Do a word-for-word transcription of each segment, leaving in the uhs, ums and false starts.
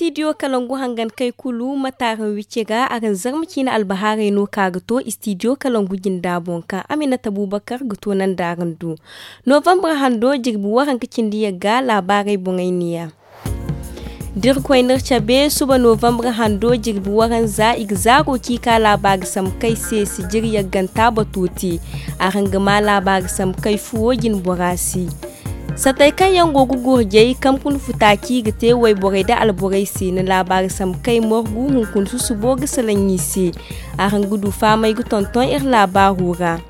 Istidiyo kalangu hangan kay kulu mate araŋ wicce ga araŋ zarma ciine albahaarey no ka ga to istidiyo kalangu jinda boŋ kaŋ aminata bubakar ga to nanda araŋ do. Novambar hando jirbi waranka cindi yagga laabaarey boŋey neeya. Da irkoy n'iri cabe suba novambar hando jirbi waranza i ga zaaro ci ka laabaari sambu kay se sijir yagganta bato te. Araŋ ga ma laabaari sambu kay fuwo jinbora se. Satey kaŋ yaŋ go ga gurjay kankun futa ci ga te wayborey nda alborey se na laabaari sambu kay margu hunkuna susubo ga salaŋ i se. Araŋ ga du fahamay ga tonton iri laabaaro ra.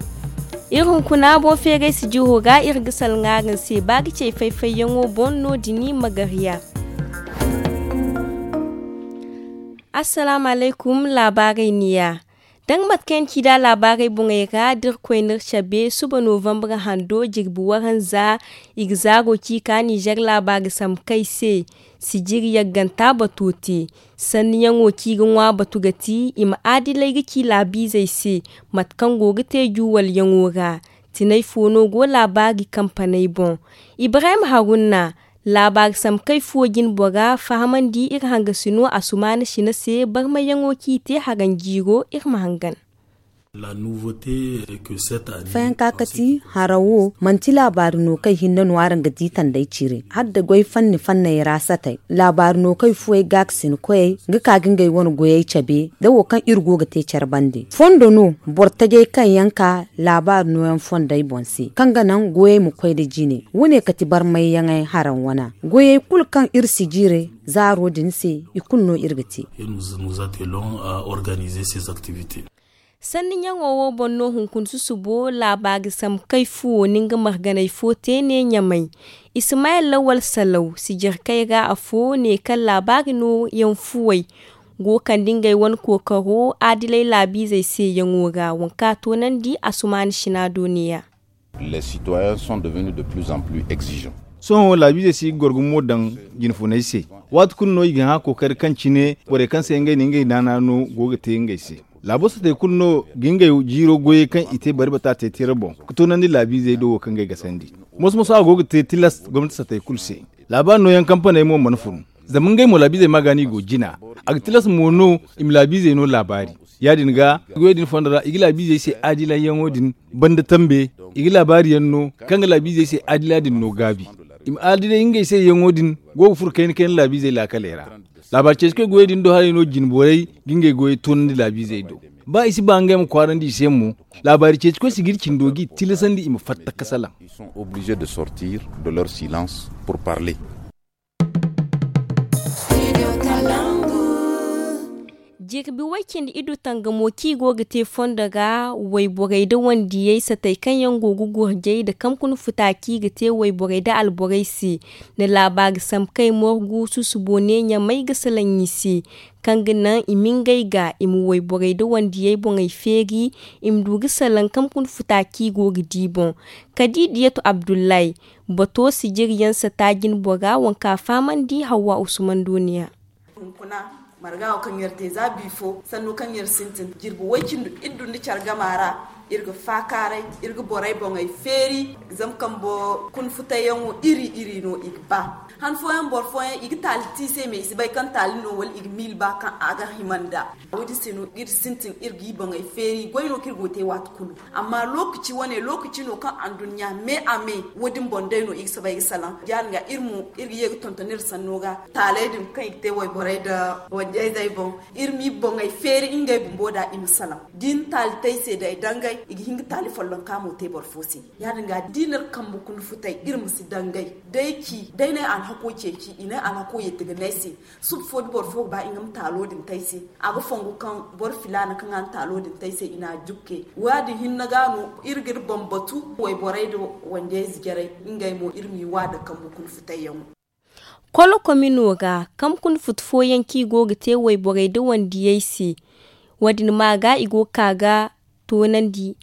Iri hunkuna boŋ feeray sijiro ra iri ga salaŋ araŋ se ba ga cay fay-fayyaŋo boŋ no- din magarya. Assalaamu alaykum. Laabaarey neeya. Da nga mate kaŋ yaŋ ci da laabaarey boŋey ra da irkoy n'iri cabe suba novambar hando jirbi waranza i ga zaaro ci ka nizer laabaari sambu kay se sijiri yagganta bato te. Sanniyaŋo kaŋ i ga ŋwa batu ga ti i ma aadilay ga ci laabiizey se mate kaŋ go ga te juwalyaŋo ra. Tinay fo no go laabaari kampaney boŋ. Ibrahim haruna. Laabaari sambu kay fuwo jinbora fahamandi iri hangasino asumaana sina se barmayyaŋo kaŋ i te haranjiiro iri ma hangan. Fayanka kati hara wo manti laabaari no kaŋ hinne no araŋ ga di tandey cire hala da goy fanni fanney ra satey. Laabaari no kaŋ fuwey gaakasin koyey ga ka ga ngey wane goyey cabe da wo kaŋ iri go ga te care bande fondo no boro tajey kaŋ yaŋ ka laabaari nooyaŋ fondey boŋ se kaŋ ga naŋ goyey ma koy nda jine. Wo- ne kati barmayyaŋey haraŋ wana goyey kulu kaŋ iri si jiire zaaro din se i kulu no iri ga te. Sanni ɲaŋo wo boŋ no hunkuna susubo laabaari sambu kay fuwo na nga marganey fo te ne ɲamay. Isimayel lawal salaw sijirkey ra afo ne kaŋ laabaari nooyaŋ fuwey go kande ngey wane kookaro adilay laabiizey se yaŋo ra waŋ kaŋ a toonandi asumaana sina do ne- ya. Sohõ laabiizey si ga goro gumo daŋ jinfuney se. Waati kulu no i ga hã kookari kaŋ cine borey kaŋ se ngey na ngey naana no go ga te ngey se. Laabo satey kulu no ga ngey jiiro goyey kaŋ i te bari bata te tira boŋ ga toonandi laabiizey do wo kaŋ ngey gasandi. Moso moso a go ga te tilas gomnati satey kulu se. Laabaari nooyaŋ kampaney mo mana fun. Zama ngey mo laabiizey ma ga no i go jina. A ga tilas mo no i ma laabiizey no laabaari. Ya- din ga goyey din fondo ra i ga laabiizey se adilayyaŋo din banda tambe. I ga laabaari yaŋ no kaŋ ga laabiizey se adila din no gaabi. I ma adilay ngey se yaŋo din go ga furo kayna kayna laabiizey laakaley ra. Laabaari ceeci koy goyey din do haray no jine borey ga ngey goyey toonandi laabiizey do. Ba i si ba ngey ma kwaarandi i se mo. Laabaari ceeci koy si ga iri cindo g'i tilasandi i ma fatta ga salaŋ. Jirbi way cindi iddu tangamo kaŋ i go ga te fondo ra wayborey nda wandiyey satey kaŋ yaŋ go ga gurjay nda kankuna futa kaŋ i ga te wayborey nda alborey se. Nda laabaari sambu kay morgu susubo ne ɲamay ga salaŋ i se kaŋ ga naŋ i ma ngey ga i ma wayborey nda wandiyey boŋey feeri. I ma du ga salaŋ kankuna futa kaŋ i go ga di boŋ. Kadi diyatu abdullahi bato sijiri yaŋ sata jine bora waŋ kaŋ a fahamandi hawwa usman doniya. Hunkuna marga wo kaŋ iri te za bifo sanno kaŋ iri sintin jirbi way cindi iddu nda care gama ra. Iri ga faakaaray iri ga borey boŋey feeri zama kambo kuna futayyaŋo iri iri no i ga ba. Han fooyaŋ boro fooyaŋ i ga taali te i se me i si bay kaŋ taali no wala i ga miila ba kaŋ a ga hima nd'a. Wo- din se no iri sintin iri g'i boŋey feeri goy no kaŋ iri go ga te waati kulu. Amma lookaci wane lookaci no kaŋ anduɲɲa me a me wo- din boŋ day no i ga soobay ga salaŋ ya- din ga iri mo iri ga ye ga tonton iri sanno ga taaley din kaŋ i ga te wayborey nda wanjayzey boŋ. Iri m'i boŋey feeri ngey bumbo da i ma salaŋ da i na taali te ay se day dangay i ga hin ga taali follonka mo te boro fo se. Ya- din ga da i na iri kambe kuna futay iri ma si dangay day ci day no ay alhako ceeci i no ay alhako yeeti ga ne ay se. Suba fo da boro fo ga ba nga ma taalo din te ay se a ga fongu kaŋ boro filaana kaŋ a na taalo din te ay se i na a jukke. Wa- din hinne ga no iri ga iri boŋ batu wayborey nda wandiyayze jarey ngey mo iri m'i wa nda kambe kuna futayyaŋo. Kolo komino ga kambe kuna futu fooyaŋ kaŋ i go ga te wayborey nda wandiyey se. Wo- din ma ga i go ga ka ga toonandi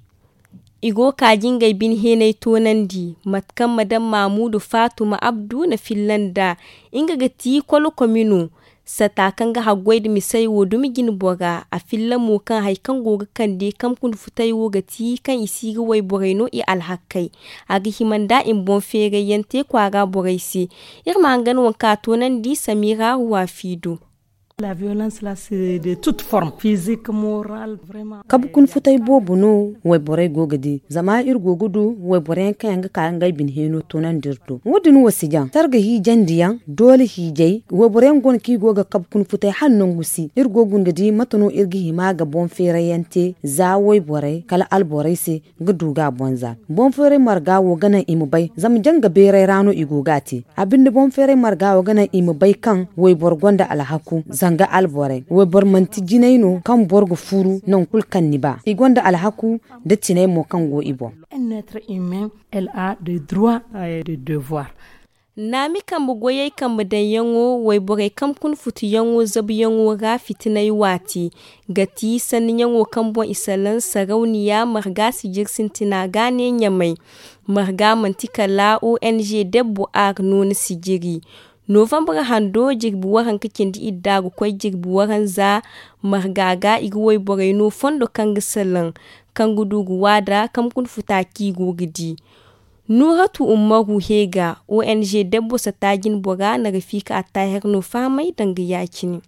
i go ga ka ga ngey bine heenay toonandi mate kaŋ madam maamudu faatuma abdu na filla nd'a. Nga ga ti kolo komino. Sata kaŋ ga haggoy nda misey wo dumi jine bora a filla mo kaŋ hari kaŋ go ga kande kamkun futay wo ga ti kaŋ i si ga wayborey no i alhakkey. A ga hima nda i ma boŋ feerayyaŋ te kwaara borey se. Iri ma hangan waŋ kaŋ a toonandi samira ruwa fiido. Kabu kun futay boobo no wayborey go ga di zama iri go ga du wayboro yaŋ kaŋ yaŋ ga ka ngey bine heeno toonandi iri do wo- din wo si jaŋ sarga hiijandi yaŋ doole hiijay wayboro yaŋ go no kaŋ i go ga kabu kun futay hala nangu si iri go ga guna ga di mate no iri ga hima ga boŋ feeray yaŋ te za wayborey kala alborey se ga du ga a boŋ za boŋ feeray marga wo ga naŋ i ma bay zama janga beeray ra no i go ga a te a binde boŋ feeray marga wo ga naŋ i ma bay kaŋ wayboro gonda alhaku zanga alborey wayboro manti jinay no kaŋ boro ga furu nangu kulu kaŋ ni ba i gonda alhaku nda tinay mo kaŋ go i boŋ. Naami kambe goyey kambe daŋyaŋo wayborey kaŋ kun futuyaŋo zabuyaŋo ra fitinay waati ga ti sanniyaŋo kaŋ boŋ i salaŋ sarawniya marga sijir sintina ga ne ɲamay marga manti kala ong debbo ar nooni sijiri novambre hando jirbi waranka cindi idda ga koy jirbi waranza marga ga i ga wayborey no fondo kaŋ ga salaŋ kaŋ ga du ga waada kaŋ ga kuna futa kaŋ i go ga di nuuratu ummaru heega ong debbo sata jine bora na ga fiika attahir no fahamay danga ya- cine.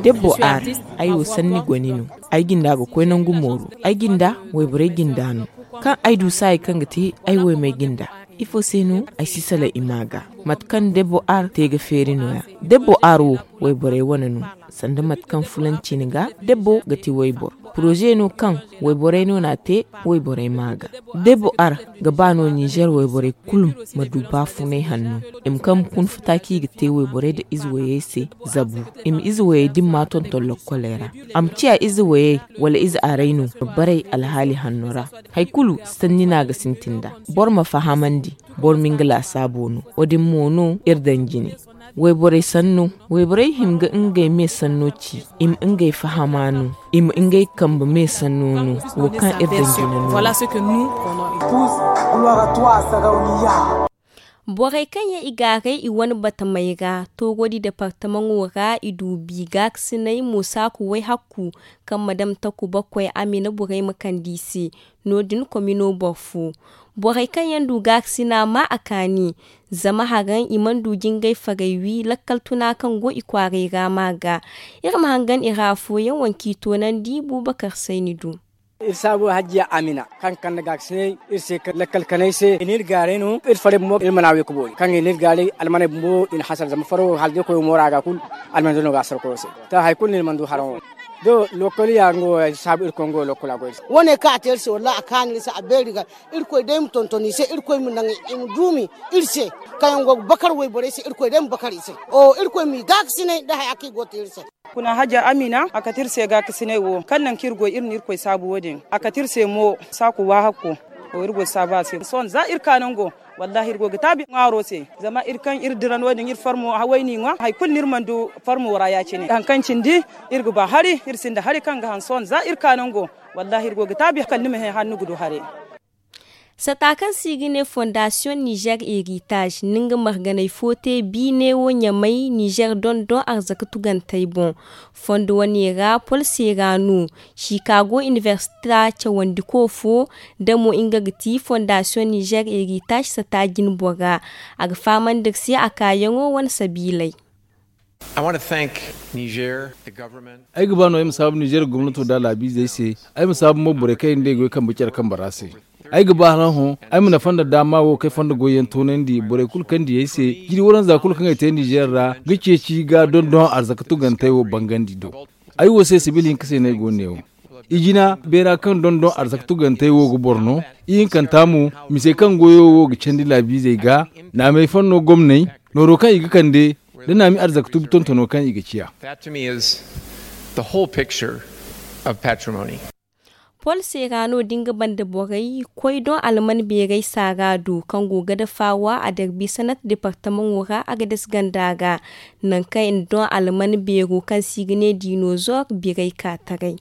Debbo ar ay wo sanni goni no ay jinda ga koy nangu mooru ay jinda wayborey jinda no kaŋ ay du saayi kaŋ ga te ay waymey jinda ifo se no ay si salaŋ i ma ga mate kaŋ debbo ar te ga feeri no- ya debbo ar wo wayborey wane no sanda mate kaŋ fulanci ni ga debbo ga ti wayboro poroze no kaŋ wayborey no na a te wayborey ma ga debbo ar ga ba no ninzeer wayborey kulu ma du baafunay hanno i ma kaŋ ma kun futa kaŋ i ga te wayborey nda ize wayey se zabu i ma ize wayey din ma tonton lokkoley ra a ma ciya ize wayey wala ize aray no ma baray alhaali hanno ra hari kulu sanni no a ga sintin nd'a boro ma fahamandi boro ma nga laasaabo no wo- din mo no iri daŋ jine wayborey sanno wayborey hima ga ngey me sanno ci i ma ngey fahama no i ma ngey kambe me sanno no wo kaŋ iri daŋ jine no borey kaŋ yaŋ i gaaray i wane batamey ra toorodi departamaŋo ra i du bi gaakasinay mo saaku way hakku kaŋ ma dam takuba koy amina borey ma kande i se no- din komino boro fo borey kaŋ yaŋ du gaakasina ma a kaani zama haraŋ i mana du jingay farey wi lakkal tuna kaŋ go i kwaaray ra ma ga iri ma hangan i ra afooyaŋ waŋ kaŋ i toonandi buubakar sayni du. Iri saabu hajjiya amina kaŋ kande gaakasinay iri se lakkal kanay se i n'iri gaaray no iri farey bumbo iri mana a we ka boori kaŋ i n'iri gaaray almaney bumbo i na hasara zama faro hala da iri koy wo moora ga kulu almaney no ga hasara koyo se. To hari kulu no iri mana du haraŋo do lokoliya nga wo saabu iri koy nga wo lokola goy se. Wane kaŋ a te iri se wallahi a kaanu iri se a beeri ga irkoy day ma tonton i se irkoy ma naŋ i ma duumi iri se kaŋ yaŋ go ga bakar wayborey se irkoy day ma bakar i se. Irkoy m'i gaakasinay nda haya kaŋ i go ga te iri se. Kuna hajja amina a kate iri se gaakasinay wo kaŋ naŋ kaŋ iri goy iri na irkoy saabu wo- din a kate iri se mo saaku waahakko. Iri goy saabu a se sohõ za iri ka nango wallahi iri go ga taabi ŋwaaro se zama iri kaŋ iri dira no- din iri farmo haway n'i ŋwa hari kulu no iri mana du farmo ra ya- cine hari kaŋ cindi iri ga ba hari iri sinda hari kaŋ ga haŋ sohõ za iri ka nango wallahi iri go ga taabi kala ni ma hẽ hala ni ga du haray. Sata kaŋ se i ga ne fondasiyoŋ nizer eritage na nga marganey fo te biine wo ɲamay nizer dondon arzaka tugantey boŋ. Fondo wane ra pol se ra no chicago inibersita cawandiko fo da mo nga ga ti fondasiyoŋ nizer eritage sata jine bora a ga fahamandi iri se a kaayaŋo wane sabiiley. Ay ga ba no ay ma saabu nizer gomnato nda a laabiizey se. Ay ma saabu mo borey kaŋ yaŋ day goy kambe care kambe ra se. Ay ga ba hala hõ ay ma nafa nda daama wo kaŋ ay fonda goyyaŋ toonandi borey kulu kaŋ di ay se. Jiri waranza kulu kaŋ ay te nizer ra ga ceeci ga dondon arzaka tugantey wo bangandi do. Ay wo se sibil hinka se no ay go ga ne wo. Ijina beera kaŋ dondon arzaka tugantey wo ga boro no. Ihinkanta mo misey kaŋ goyo wo ga candi laabiizey ga naamey fanno gomney nooro kaŋ i ga kande da naami arzaka tubi tontono kaŋ i ga ciya. Pol se ra no da nga banda borey koy doŋ alman beerey saara do kaŋ go ga dafawa a darbi sanat departamaŋo ra a ga dasi ganda ga nangu kaŋ i na doŋ alman beero kaŋ se i ga ne dinozor birey ka taray.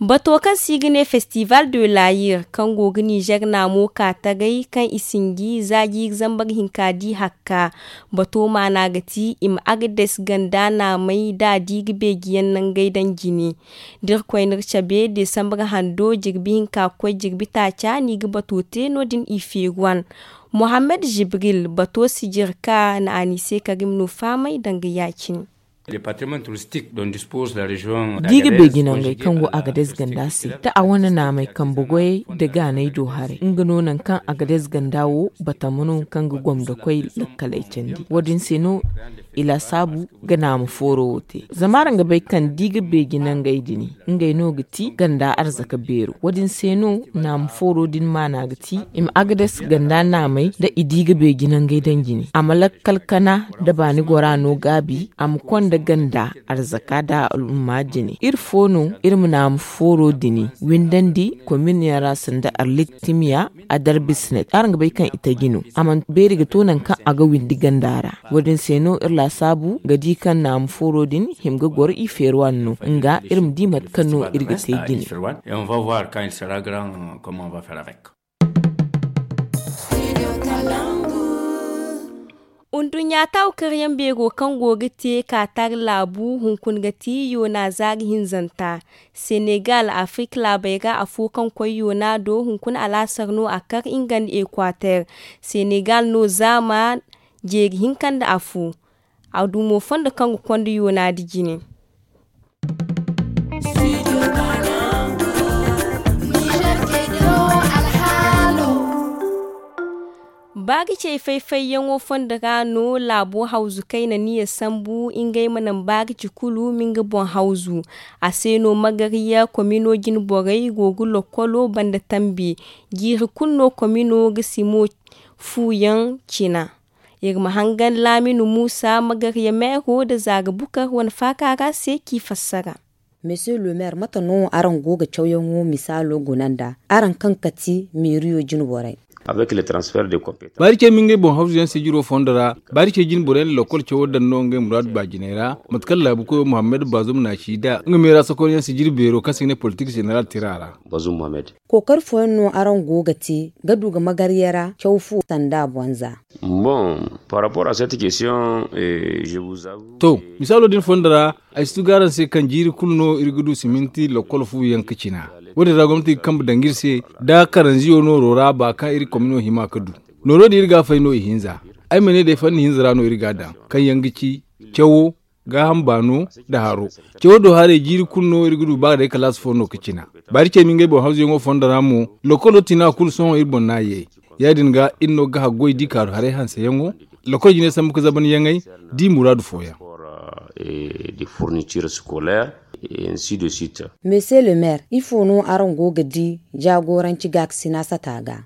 Bato kaŋ se i ga ne festival de layir kaŋ go ga nizer naamo ka tagay kaŋ i sinji za jiiri zambar hinka di hakka. Bato maana ga ti i ma agades ganda naamay da a di ga beeji yaŋ nangay daŋ jine. Da irkoy n'iri cabe desambar hando jirbi hinka ga koy jirbi taaca no i ga bato te no- din i feeri wan. Mohammed jibril bato sijir ka na a ni se karim no faamay danga ya- cine. Da i ga beeji nangey kaŋ go agades ganda se da a wane naamey kambe goyey nda gaaney do haray nga no nangu kaŋ agades ganda wo batama no kaŋ ga gomdo koy lakkaley candi wo- din se no i laasaabu ga naama fooro wo te. Zama araŋ ga bay kaŋ da i ga beeji nangey din ngey no ga ti ganda arzaka beero wo- din se no naama fooro din maana ga ti i ma agades ganda naamey da i di ga beeji nangey daŋ jine a ma lakkal kana nda baani gora no gaabi a ma konda ganda arzaka nda al'umma jine iri fo no iri ma naama fooro din windandi komin yaŋ ra sanda arlit timiya a darbi sinet araŋ ga bay kaŋ i taji no a mana beeri ga to nangu kaŋ a ga windi ganda ra. Wo- din se no iri laasaabu ga di kaŋ naama fooro din hima ga goro i feeri wane no nga iri ma di mate kaŋ no iri ga te jine. Nduɲɲa taawu karyaŋ beero kaŋ go ga te kaatar laabu hunkuna ga ti yoona zaari hinzanta. Senegal afirik laabey ra afo kaŋ koy yoona do hunkuna alaasar no a kar nga nda ekwater. Senegal no zaama jeeri hinka nda afo. A du mo fondo kaŋ ga konda yoona da jine. Baari cey fay-fayyaŋo fondo ra no laabo hawzu kayna niya sambu ngey ma naŋ baari ci kulu ma nga boŋ hawzu. A se no magariya komino jine borey go ga lokkolo banda tambi. Jiiri kulu no komino ga simo fuuyaŋ cina. Iri ma hangan laaminu muusa magariya meero nda zaara bukar wane faaka ra se k'i fassara. Monsieur le maire mate no araŋ go ga cawyaŋo misaalo guna nda araŋ kaŋ kati meeriyo jine borey? Baari cey ma ngey boŋ hawzu yaŋ sijiro fondo ra. Baari cey jine borey na lokkol cawo daŋ no ngey muraadu baajiney ra. Mate kaŋ laabu koyo muhammad baazum na a ci nd'a nga meera sokonyaŋ sijiri beero kaŋ se i ga ne politik zeneral tira ra. Kookari fooyaŋ no araŋ go ga te ga du ga magarya ra caw fu sanda boŋ za? Bon, par rapport à cette question, to, misaalo din fondo ra, ay si tugu araŋ se kaŋ jiiri kulu no iri ga du siminti lokkol fu yaŋ ga cina. Wo- din ra gomnati ga kambe daŋ ga iri se da karanziyo nooro ra ba kaŋ iri komino hima ga du. Nooro din iri ga a fay no ihinza. Ay ma ne day fanni hinza ra no iri ga a daŋ kaŋ yaŋ ga ci cawo, gaaham baano, nda haro. Cawo do haray jiiri kulu no iri ga du ba ga day kalaasi fo no ga cina. Baari cey ma ngey boŋ hawzuyaŋo fondo ra mo, lokkolo tina kulu sohõ iri boŋ no a ye. Ya- din ga iri no ga haggoy da i kaaru haray hanseyaŋo, lakkol jine sambu ga zabanyaŋey, da i muraadu fooyaŋ. Monsieur le maire ifo no araŋ go ga di jaagoranci gaakasina sata ga?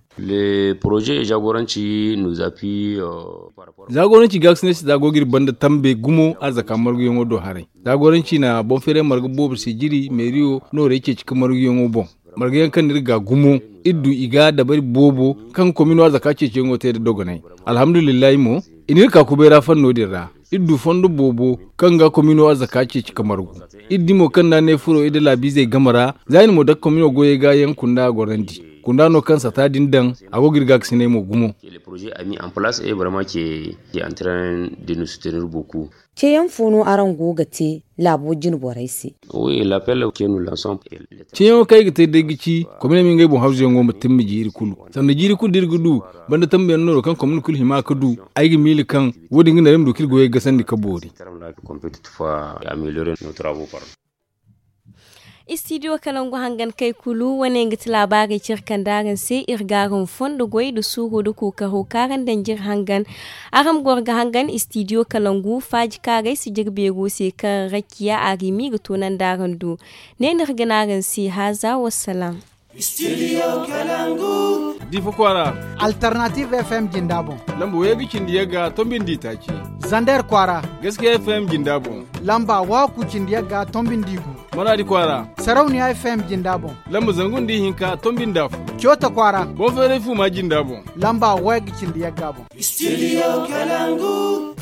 Zaagoranci gaakasinay sata go ga iri banda tambe gumo arzaka marguyaŋo do haray. Zaagoranci na boŋ feeray marga boobo se jiri meeriyo noorey ceeci ga marguyaŋo boŋ. Marga yaŋ kaŋ no iri ga gumo, iri du i ga dabari boobo kaŋ komino arzaka ceeciyaŋo te nda dogonay. Alhamdulillahi mo, i n'iri ka kubay ra fanno din ra. Iri du fondo boobo kaŋ ga komino arzaka ceeci ka margu. Iri di mo kaŋ nda a ne furo iri nda laabiizey game ra, za iri mo dake komino goyey ga yaŋ kunda a gorandi. Kunda no kaŋ sata din daŋ, a go ga iri gaakasinay mo gumo. Ceeyaŋ fo no araŋ go ga te laabo jine borey se? Ceeyaŋo kaŋ ay ga te day ga ci, komine ma ngey boŋ hawzuyaŋo ma timma jiiri kulu. Sanda jiiri kulu da iri ga du banda tambuyaŋ nooro kaŋ komine kulu hima ga du. Ay ga miila kaŋ wo- din ga naŋ iri ma du ka iri goyey gasandi ka boori. Istidiyo kalangu hangan kay kulu wane nga ti laabaarey cire kaŋ da araŋ se iri ga araŋ fondo goy nda suuro nda kookaro kaŋ araŋ daŋ jire hangan. Araŋ ma goro ga hangan istidiyo kalangu faaji kaarey si jire beero se kaŋ rakiya arimi ga toonandi araŋ do. Ne no iri ga ne araŋ se haaza wassalaam. Diifa kwaara. Alternative fm jinda boŋ. Lamba wayga cindi yagga tombindi taaci. Zander kwaara. Gaskiya fm jinda boŋ. Lamba waaku cindi yagga tombindi gu. Maraadi kwaara. Sarauniya fm jinda boŋ. Lamba zangu nda ihinka tombindi afo. Coota kwaara. Boŋ feeray fuuma jinda boŋ. Lamba wayga cindi yagga boŋ. Studio kalangu.